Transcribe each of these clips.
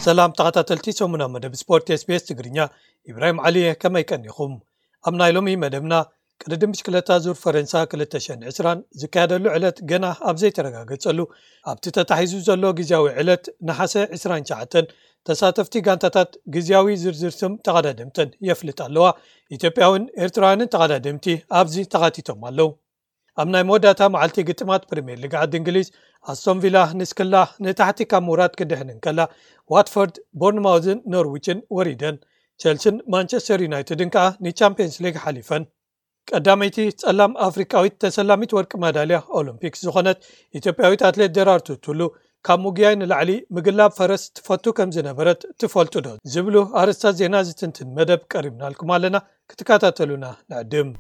ሰላም ተኸታተልቲ ሰሙና መደብ ስፖርት SBS ትግርኛ፣ ኢብራሂም ዓሊ እየ። ከመይ ቀኒኹም? ኣብ ናይ ሎሚ መደብና፣ ቅድድም ብሽክለታ ዙር ፈረንሳ ክልተ ሽሕን ዕስራን ዝካየደሉ ዕለት ገና ኣብ ዘይተረጋገጸሉ፣ ኣብቲ ተታሒዙ ዘሎ ግዜያዊ ዕለት ነሓሰ ዕስራን ትሽዓተን፣ ተሳተፍቲ ጋንታታት ግዜያዊ ዝርዝር ስም ተቐዳደምተን የፍልጥ ኣለዋ። ኢትዮጵያውን ኤርትራውያንን ተቐዳደምቲ ኣብዚ ተኻቲቶም ኣለዉ። ኣብ ናይ መወዳእታ መዓልቲ ግጥማት ፕሪምየር ሊግ ዓዲ እንግሊዝ፣ ኣስቶን ቪላ ንስክላ ንታሕቲ ካብ ምውራድ ክድሕን እንከላ፣ ዋትፎርድ፣ ቦርንማውዝን ኖርዊችን ወሪደን። ቸልስን ማንቸስተር ዩናይትድን ከኣ ንቻምፒየንስ ሊግ ሓሊፈን። ቀዳመይቲ ጸላም ኣፍሪቃዊት ተሰላሚት ወርቂ ማዳልያ ኦሎምፒክ ዝኾነት ኢትዮጵያዊት ኣትሌት ደራርቱ ቱሉ፣ ካብ ምጉያይ ንላዕሊ ምግላብ ፈረስ ትፈቱ ከም ዝነበረት ትፈልጡ ዶ? ዝብሉ ኣርእስታት ዜና ዝትንትን መደብ ቀሪብናልኩም ኣለና። ክትከታተሉና ንዕድም።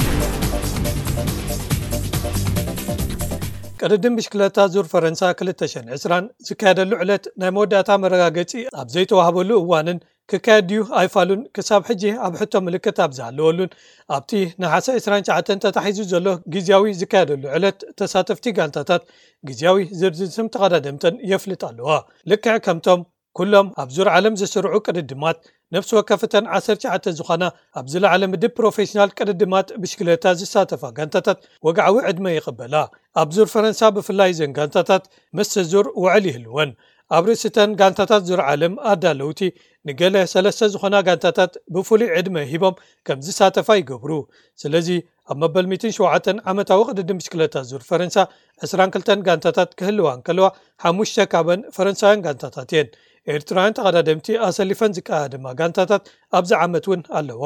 ቅድድም ብሽክለታ ዙር ፈረንሳ ክልተ ሽሕን ዕስራን ዝካየደሉ ዕለት ናይ መወዳእታ መረጋገጺ ኣብ ዘይተዋህበሉ እዋንን ክካየድ ድዩ ኣይፋሉን ክሳብ ሕጂ ኣብ ሕቶ ምልክት ኣብ ዝሃለወሉን፣ ኣብቲ ነሓሰ ዕስራን ትሽዓተን ተታሒዙ ዘሎ ግዜያዊ ዝካየደሉ ዕለት፣ ተሳተፍቲ ጋንታታት ግዜያዊ ዝርዝር ስም ተቐዳደምተን የፍልጥ ኣለዋ። ልክዕ ከምቶም ኩሎም ኣብ ዙር ዓለም ዝስርዑ ቅድድማት፣ ነፍሲ ወከፍተን ዓሰርተ ትሽዓተ ዝኾና ኣብ ዝለዓለ ምድብ ፕሮፌሽናል ቅድድማት ብሽክለታ ዝሳተፋ ጋንታታት ወግዓዊ ዕድመ ይቕበላ። ኣብ ዙር ፈረንሳ ብፍላይ እዘን ጋንታታት ምስ ዙር ውዕል ይህልወን። ኣብ ርእሲተን ጋንታታት ዙር ዓለም ኣዳለውቲ፣ ንገለ ሰለስተ ዝኾና ጋንታታት ብፍሉይ ዕድመ ሂቦም ከም ዝሳተፋ ይገብሩ። ስለዚ ኣብ መበል ሚእትን ሸውዓተን ዓመታዊ ቅድድም ብሽክለታ ዙር ፈረንሳ፣ ዕስራን ክልተን ጋንታታት ክህልዋ እንከለዋ፣ ሓሙሽተ ካብን ፈረንሳውያን ጋንታታት እየን። ኤርትራውያን ተቐዳደምቲ ኣሰሊፈን ዝቀዳደማ ጋንታታት ኣብዚ ዓመት እውን ኣለዋ።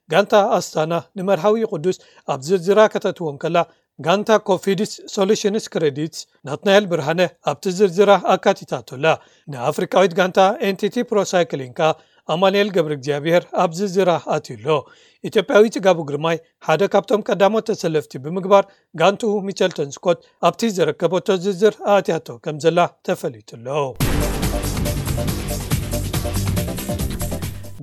ጋንታ ኣስታና ንመርሃዊ ቅዱስ ኣብ ዝርዝራ ከተትዎ እንከላ፣ ጋንታ ኮፊድስ ሶሉሽንስ ክሬዲትስ ናትናኤል ብርሃነ ኣብቲ ዝርዝራ ኣካቲታቶ ኣላ። ንኣፍሪቃዊት ጋንታ ኤንቲቲ ፕሮ ሳይክሊንግ ከኣ ኣማኑኤል ገብረ እግዚኣብሔር ኣብ ዝርዝራ ኣትዩ ኣሎ። ኢትዮጵያዊ ጽጋቡ ግርማይ ሓደ ካብቶም ቀዳሞት ተሰለፍቲ ብምግባር፣ ጋንትኡ ሚቸልተን ስኮት ኣብቲ ዘረከበቶ ዝርዝር ኣእትያቶ ከም ዘላ ተፈሊጡ ኣሎ።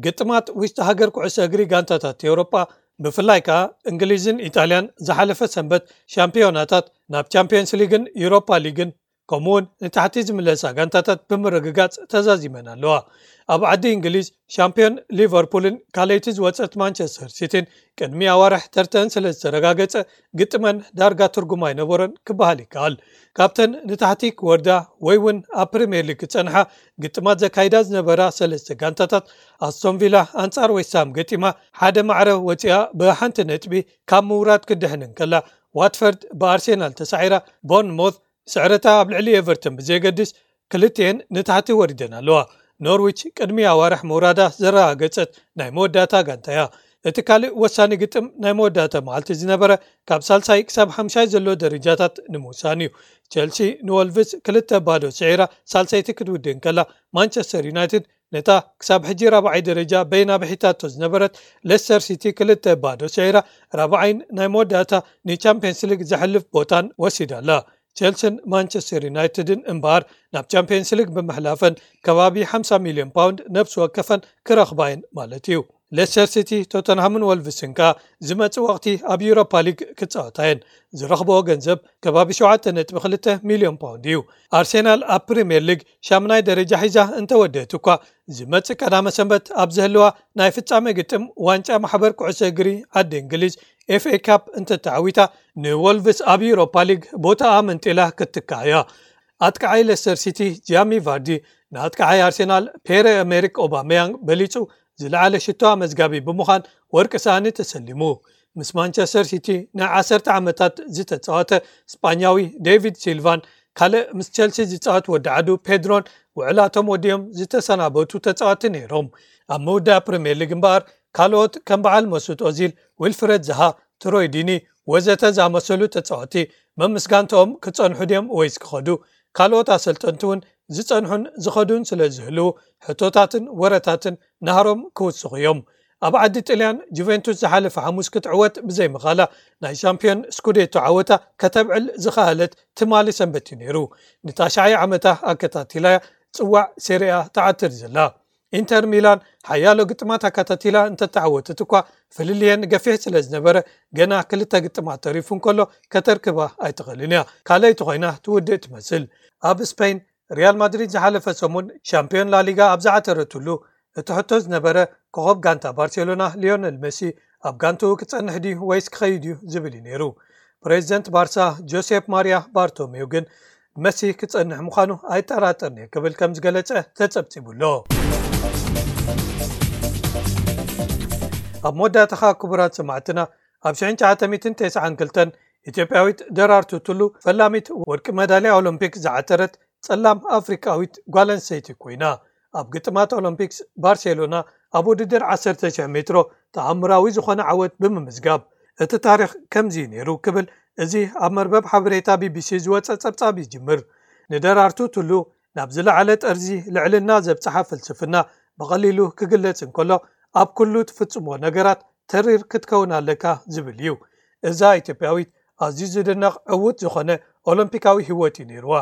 ግጥማት ውሽጢ ሃገር ኩዕሶ እግሪ ጋንታታት ኤውሮጳ፣ ብፍላይ ከኣ እንግሊዝን ኢጣልያን፣ ዝሓለፈ ሰንበት ሻምፒዮናታት ናብ ቻምፒየንስ ሊግን ዩሮፓ ሊግን፣ ከምኡውን ንታሕቲ ዝምለሳ ጋንታታት ብምርግጋጽ ተዛዚመን ኣለዋ። ኣብ ዓዲ እንግሊዝ፣ ሻምፒዮን ሊቨርፑልን ካልኣይቲ ዝወጸት ማንቸስተር ሲቲን ቅድሚ ኣዋርሕ ተርተን ስለ ዝተረጋገጸ፣ ግጥመን ዳርጋ ትርጉም ኣይነበሮን ክበሃል ይከኣል። ካብተን ንታሕቲ ክወርዳ ወይ እውን ኣብ ፕሪምየር ሊግ ክጸንሓ ግጥማት ዘካይዳ ዝነበራ ሰለስተ ጋንታታት፣ ኣስቶን ቪላ ኣንጻር ዌስትሃም ገጢማ ሓደ ማዕረ ወጺኣ ብሓንቲ ነጥቢ ካብ ምውራድ ክድሕን እንከላ፣ ዋትፈርድ ብኣርሴናል ተሳዒራ፣ ቦርንሞዝ ስዕረታ ኣብ ልዕሊ ኤቨርተን ብዘየገድስ ክልቲኤን ንታሕቲ ወሪደን ኣለዋ። ኖርዊች ቅድሚ ኣዋርሕ ምውራዳ ዘረጋገጸት ናይ መወዳእታ ጋንታ እያ። እቲ ካልእ ወሳኒ ግጥም ናይ መወዳእታ መዓልቲ ዝነበረ፣ ካብ ሳልሳይ ክሳብ ሓምሻይ ዘሎ ደረጃታት ንምውሳን እዩ። ቸልሲ ንወልቭስ ክልተ ባዶ ስዒራ ሳልሰይቲ ክትውድእ እንከላ፣ ማንቸስተር ዩናይትድ ነታ ክሳብ ሕጂ ራብዓይ ደረጃ በይና ብሒታቶ ዝነበረት ሌስተር ሲቲ ክልተ ባዶ ስዒራ፣ ራብዓይን ናይ መወዳእታ ንቻምፒየንስ ሊግ ዘሕልፍ ቦታን ወሲዳ ኣላ። ቸልስን ማንቸስተር ዩናይትድን እምበኣር፣ ናብ ቻምፒየንስ ሊግ ብምሕላፈን ከባቢ ሓምሳ ሚልዮን ፓውንድ ነብሲ ወከፈን ክረኽባ እየን ማለት እዩ። ሌስተር ሲቲ፣ ቶተንሃምን ወልቭስን ከኣ ዝመጽእ ወቕቲ ኣብ ዩሮፓ ሊግ ክጻወታ እየን። ዝረኽብኦ ገንዘብ ከባቢ ሸውዓተ ነጥቢ ክልተ ሚልዮን ፓውንድ እዩ። ኣርሴናል ኣብ ፕሪምየር ሊግ ሻምናይ ደረጃ ሒዛ እንተወደአት እኳ፣ ዝመጽእ ቀዳመ ሰንበት ኣብ ዝህልዋ ናይ ፍጻመ ግጥም ዋንጫ ማሕበር ኩዕሶ እግሪ ዓዲ እንግሊዝ፣ ኤፍ ኤ ካፕ፣ እንተተዓዊታ፣ ንወልቭስ ኣብ ዩሮፓ ሊግ ቦታኣ መንጢላ ክትትካእ እያ። ኣጥቃዓይ ሌስተር ሲቲ ጂያሚ ቫርዲ ንኣጥቃዓይ ኣርሴናል ፔረ ኤሜሪክ ኦባሜያንግ በሊጹ ዝለዓለ ሽቶ ኣመዝጋቢ ብምዃን ወርቂ ሳእኒ ተሰሊሙ። ምስ ማንቸስተር ሲቲ ንዓሰርተ ዓመታት ዝተጻወተ ስጳኛዊ ዴቪድ ሲልቫን ካልእ ምስ ቸልሲ ዝጻወት ወዲ ዓዱ ፔድሮን ውዕላቶም ወዲኦም ዝተሰናበቱ ተጻወቲ ነይሮም። ኣብ ምውዳእ ፕሪምየር ሊግ እምበኣር ካልኦት ከም በዓል መሱት ኦዚል፣ ዊልፍረድ ዛሃ፣ ትሮይ ዲኒ ወዘተ ዝኣመሰሉ ተጻወቲ መምስ ጋንታኦም ክጸንሑ ድዮም ወይስ ክኸዱ? ካልኦት ኣሰልጠንቲ እውን ዝጸንሑን ዝኸዱን ስለ ዝህልዉ ሕቶታትን ወረታትን ናህሮም ክውስኹ እዮም። ኣብ ዓዲ ጥልያን ጁቬንቱስ ዝሓለፈ ሓሙስ ክትዕወት ብዘይምኻላ ናይ ሻምፒዮን ስኩዴቶ ዓወታ ከተብዕል ዝኸኣለት ትማሊ ሰንበት እዩ ነይሩ። ንታሽዓይ ዓመታ ኣከታቲላ ጽዋዕ ሴሪኣ ትዓትር ዘላ። ኢንተር ሚላን ሓያሎ ግጥማት ኣከታቲላ እንተተዓወተት እኳ፣ ፍልልየን ገፊሕ ስለ ዝነበረ፣ ገና ክልተ ግጥማት ተሪፉ እንከሎ ከተርክባ ኣይትኽእልን እያ። ካልኣይቲ ኮይና ትውድእ ትመስል። ኣብ ስፔን ሪያል ማድሪድ ዝሓለፈ ሰሙን ሻምፒዮን ላሊጋ ኣብ ዝዓተረትሉ፣ እቲ ሕቶ ዝነበረ፣ ኮኸብ ጋንታ ባርሴሎና ሊዮነል መሲ ኣብ ጋንትኡ ክጸንሕ ድዩ ወይስ ክኸይድ እዩ ዝብል እዩ ነይሩ። ፕሬዚደንት ባርሳ ጆሴፕ ማሪያ ባርቶሜው ግን፣ መሲ ክጸንሕ ምዃኑ ኣይጠራጠርን እየ ክብል ከም ዝገለጸ ተጸብጺቡ ኣሎ። ኣብ መወዳእታኻ ክቡራት ሰማዕትና፣ ኣብ ሽሕን ትሽዓተ ሚእትን ተስዓን ክልተን ኢትዮጵያዊት ደራርቱ ቱሉ ፈላሚት ወርቂ መዳልያ ኦሎምፒክ ዝዓተረት ጸላም ኣፍሪቃዊት ጓል ኣንስተይቲ ኮይና፣ ኣብ ግጥማት ኦሎምፒክስ ባርሴሎና ኣብ ውድድር ዓሰርተ ሺሕ ሜትሮ ተኣምራዊ ዝኾነ ዓወት ብምምዝጋብ፣ እቲ ታሪኽ ከምዚ እዩ ነይሩ ክብል እዚ ኣብ መርበብ ሓበሬታ ቢቢሲ ዝወጸ ጸብጻብ ይጅምር። ንደራርቱ ቱሉ ናብ ዝለዓለ ጠርዚ ልዕልና ዘብጽሓ ፍልስፍና ብቐሊሉ ክግለጽ እንከሎ፣ ኣብ ኩሉ ትፍጽሞ ነገራት ተሪር ክትከውን ኣለካ ዝብል እዩ። እዛ ኢትዮጵያዊት ኣዝዩ ዝድነቕ ዕዉት ዝኾነ ኦሎምፒካዊ ህይወት እዩ ነይርዋ።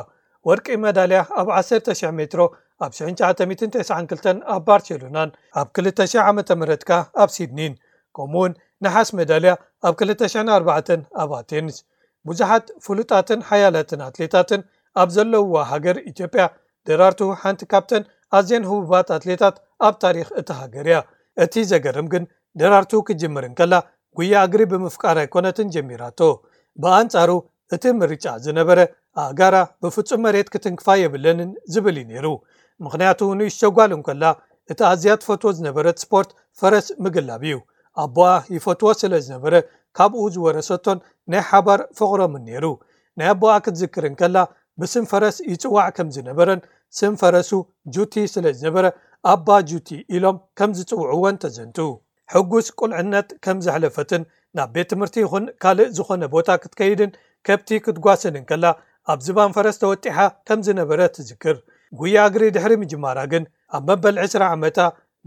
ወርቂ መዳልያ ኣብ ዓሰርተ ሺሕ ሜትሮ ኣብ ሽሕን ትሽዓተ ሚእትን ተስዓን ክልተን ኣብ ባርሴሎናን፣ ኣብ ክልተ ሺሕ ዓመተ ምህረት ከኣ ኣብ ሲድኒን፣ ከምኡውን ነሓስ መዳልያ ኣብ ክልተ ሽሕን ኣርባዕተን ኣብ ኣቴንስ። ብዙሓት ፍሉጣትን ሓያላትን ኣትሌታትን ኣብ ዘለውዋ ሃገር ኢትዮጵያ፣ ደራርቱ ሓንቲ ካብተን ኣዝየን ህቡባት ኣትሌታት ኣብ ታሪኽ እታ ሃገር እያ። እቲ ዘገርም ግን፣ ደራርቱ ክትጅምር እንከላ፣ ጉያ እግሪ ብምፍቃር ኣይኮነትን ጀሚራቶ። ብኣንጻሩ፣ እቲ ምርጫ ዝነበረ፣ ኣእጋራ ብፍጹም መሬት ክትንክፋ የብለንን ዝብል እዩ ነይሩ። ምኽንያቱ፣ ንእሽቶ ጓል እንከላ፣ እቲ ኣዝያ ትፈትዎ ዝነበረት ስፖርት ፈረስ ምግላብ እዩ። ኣቦኣ ይፈትዎ ስለ ዝነበረ፣ ካብኡ ዝወረሰቶን ናይ ሓባር ፍቕሮምን ነይሩ። ናይ ኣቦኣ ክትዝክር እንከላ፣ ብስም ፈረስ ይጽዋዕ ከም ዝነበረን፣ ስም ፈረሱ ጁቲ ስለ ዝነበረ፣ ኣባ ጁቲ ኢሎም ከም ዝጽውዕዎን ተዘንቱ። ሕጉስ ቁልዕነት ከም ዘሕለፈትን፣ ናብ ቤት ትምህርቲ ይኹን ካልእ ዝኾነ ቦታ ክትከይድን ከብቲ ክትጓስን እንከላ፣ ኣብ ዝባን ፈረስ ተወጢሓ ከም ዝነበረ ትዝክር። ጉያ እግሪ ድሕሪ ምጅማራ ግን፣ ኣብ መበል ዕስራ ዓመታ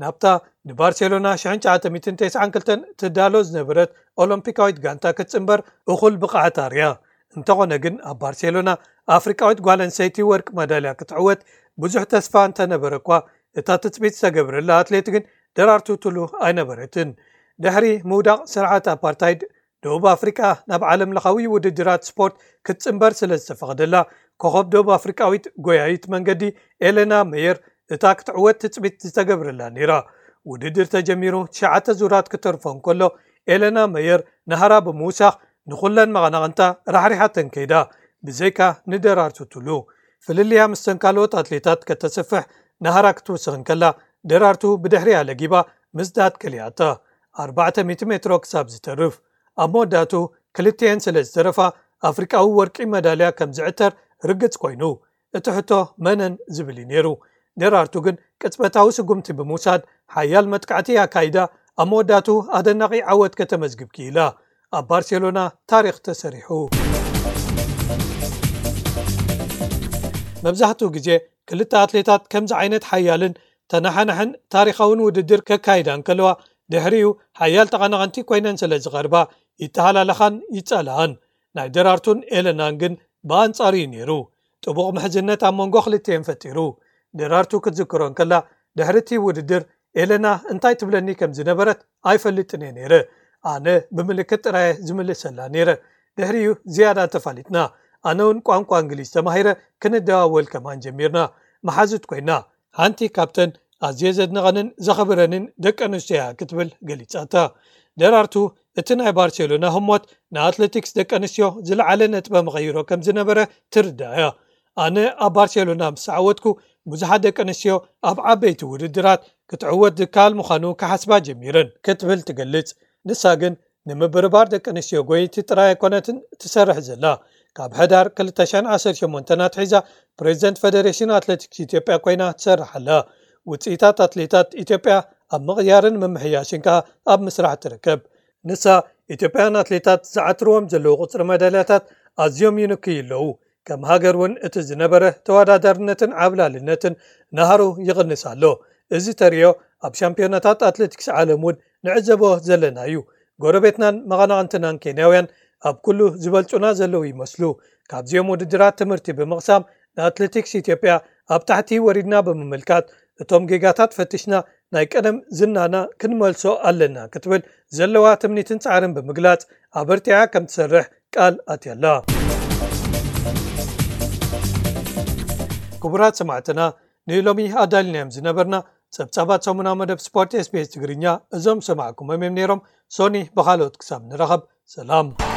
ናብታ ንባርሴሎና ሽሕን ትሽዓተ ሚእትን ተስዓን ክልተን ትዳሎ ዝነበረት ኦሎምፒካዊት ጋንታ ክትጽንበር እኹል ብቕዓት ኣርያ። እንተኾነ ግን፣ ኣብ ባርሴሎና ኣፍሪቃዊት ጓል ኣንስተይቲ ወርቂ መዳልያ ክትዕወት ብዙሕ ተስፋ እንተነበረ እኳ፣ እታ ትጽቢት ዝተገብረላ ኣትሌት ግን ደራርቱ ቱሉ ኣይነበረትን። ድሕሪ ምውዳቕ ስርዓት ኣፓርታይድ፣ ደቡብ ኣፍሪቃ ናብ ዓለም ለኻዊ ውድድራት ስፖርት ክትጽንበር ስለ ዝተፈቕደላ፣ ኮኸብ ደቡብ ኣፍሪቃዊት ጎያይት መንገዲ ኤለና መየር እታ ክትዕወት ትጽቢት ዝተገብረላ ነይራ። ውድድር ተጀሚሩ ትሽዓተ ዙራት ክተርፎ እንከሎ፣ ኤለና መየር ናህራ ብምውሳኽ ንኹለን መቐናቕንታ ራሕሪሓተን ከይዳ፣ ብዘይካ ንደራርቱ ቱሉ። ፍልልያ ምስተን ካልኦት ኣትሌታት ከተስፍሕ ናህራ ክትውስኽ እንከላ፣ ደራርቱ ብድሕሪኣ ለጊባ ምስዳድ ከሊኣታ፣ ኣርባዕተ ሚእቲ ሜትሮ ክሳብ ዝተርፍ። ኣብ መወዳእቱ ክልቲኤን ስለ ዝተረፋ፣ ኣፍሪቃዊ ወርቂ መዳልያ ከም ዝዕተር ርግጽ ኮይኑ፣ እቲ ሕቶ መነን ዝብል እዩ ነይሩ። ደራርቱ ግን ቅጽበታዊ ስጉምቲ ብምውሳድ ሓያል መጥቃዕቲ ኣካይዳ፣ ኣብ መወዳእቱ ኣደናቒ ዓወት ከተመዝግብ ክኢላ። ኣብ ባርሴሎና ታሪኽ ተሰሪሑ። መብዛሕትኡ ግዜ ክልተ ኣትሌታት ከምዚ ዓይነት ሓያልን ተነሓናሕን ታሪኻውን ውድድር ከካይዳ እንከለዋ፣ ድሕሪኡ ሓያል ተቐናቐንቲ ኮይነን ስለ ዝቐርባ፣ ይተሃላለኻን ይጻላኣን። ናይ ደራርቱን ኤለናን ግን ብኣንጻሩ እዩ ነይሩ። ጥቡቕ ምሕዝነት ኣብ መንጎ ክልቲኤን ፈጢሩ። ደራርቱ ክትዝክሮ እንከላ፣ ድሕሪ እቲ ውድድር ኤለና እንታይ ትብለኒ ከም ዝነበረት ኣይፈልጥን እየ ነይረ። ኣነ ብምልክት ጥራየ ዝምልሰላ ነይረ። ድሕሪኡ ዝያዳ ተፋሊጥና። ኣነ እውን ቋንቋ እንግሊዝ ተማሂረ፣ ክንደዋወል ከማን ጀሚርና። መሓዙት ኮይና። ሓንቲ ካብተን ኣዝየ ዘድንቐንን ዘኽብረንን ደቂ ኣንስትዮ እያ ክትብል ገሊጻታ። ደራርቱ፣ እቲ ናይ ባርሴሎና ህሞት ንኣትሌቲክስ ደቂ ኣንስትዮ ዝለዓለ ነጥበ መቐይሮ ከም ዝነበረ ትርዳእ እያ። ኣነ ኣብ ባርሴሎና ምስ ተዓወትኩ፣ ብዙሓት ደቂ ኣንስትዮ ኣብ ዓበይቲ ውድድራት ክትዕወት ዝከኣል ምዃኑ ክሓስባ ጀሚረን ክትብል ትገልጽ። ንሳ ግን ንምብርባር ደቂ ኣንስትዮ ጎየይቲ ጥራይ ኣይኮነትን ትሰርሕ ዘላ። ካብ ሕዳር ክልተ ሽሕን ዓሰርተ ሸሞንተን ኣትሒዛ ፕሬዚደንት ፈደሬሽን ኣትሌቲክስ ኢትዮጵያ ኮይና ትሰርሕ ኣላ። ውፅኢታት ኣትሌታት ኢትዮጵያ ኣብ ምቕያርን ምምሕያሽን ከኣ ኣብ ምስራሕ ትርከብ። ንሳ፣ ኢትዮጵያውያን ኣትሌታት ዝዓትርዎም ዘለዉ ቁፅሪ መዳልያታት ኣዝዮም ይንክዩ ኣለዉ። ከም ሃገር እውን እቲ ዝነበረ ተወዳዳርነትን ዓብላልነትን ናህሩ ይቕንስ ኣሎ። እዚ ተርእዮ ኣብ ሻምፒዮናታት ኣትሌቲክስ ዓለም እውን ንዕዘቦ ዘለና እዩ። ጎረቤትናን መቐናቕንትናን ኬንያውያን ኣብ ኩሉ ዝበልጹና ዘለዉ ይመስሉ። ካብዚኦም ውድድራት ትምህርቲ ብምቕሳም ንኣትሌቲክስ ኢትዮጵያ ኣብ ታሕቲ ወሪድና ብምምልካት እቶም ጌጋታት ፈቲሽና ናይ ቀደም ዝናና ክንመልሶ ኣለና ክትብል ዘለዋ ትምኒትን ጻዕርን ብምግላጽ ኣበርቲዓ ከም ትሰርሕ ቃል ኣትያላ። ክቡራት ሰማዕትና፣ ንሎሚ ኣዳልናዮም ዝነበርና ጸብጻባት ሰሙናዊ መደብ ስፖርት SBS ትግርኛ እዞም ሰማዕኩሞም እዮም ነይሮም። ሶኒ ብኻልኦት ክሳብ ንራኸብ ሰላም።